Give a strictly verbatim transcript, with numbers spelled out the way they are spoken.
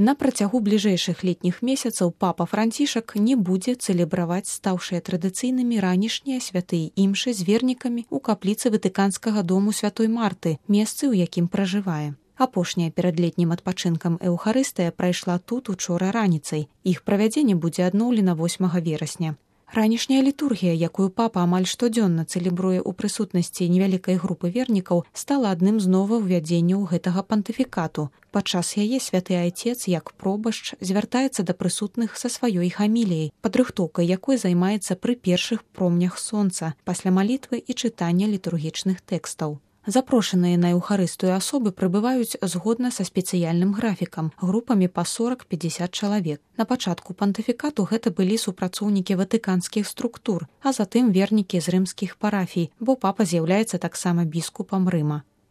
На працягу бліжэйшых летніх месяцаў папа Францішак не будзе цэлебраваць стаўшыя традыцыйнымі ранішнія святыя імшы з вернікамі ў капліцы Ватыканскага дому святой Марты, месцы, у якім пражывае. Апошняя перад летнім адпачынкам эўхарыстыя прайшла тут учора раніцай. Іх правядзенне будзе адноўлена восьмага верасня. Ранішняя літургія, якую папа амаль штодзённа цэлебруе ў прысутнасці невялікай групы вернікаў, стала адным з новаўвядзенняў гэтага пантыфікату. Падчас яе святы айцец, як пробашч, звяртаецца да прысутных са сваёй гаміліяй, падрыхтоўкай якой займаецца пры першых промнях сонца, пасля малітвы і чытання літургічных тэкстаў. Запрошаныя на эўхарыстыю асобы прыбываюць згодна са спецыяльным графікам, групамі па сорак-пяцьдзясят чалавек. На пачатку пантыфікату гэта былі супрацоўнікі ватыканскіх структур, а затым вернікі з рымскіх парафій, бо папа з'яўляецца таксама біскупам Рыма.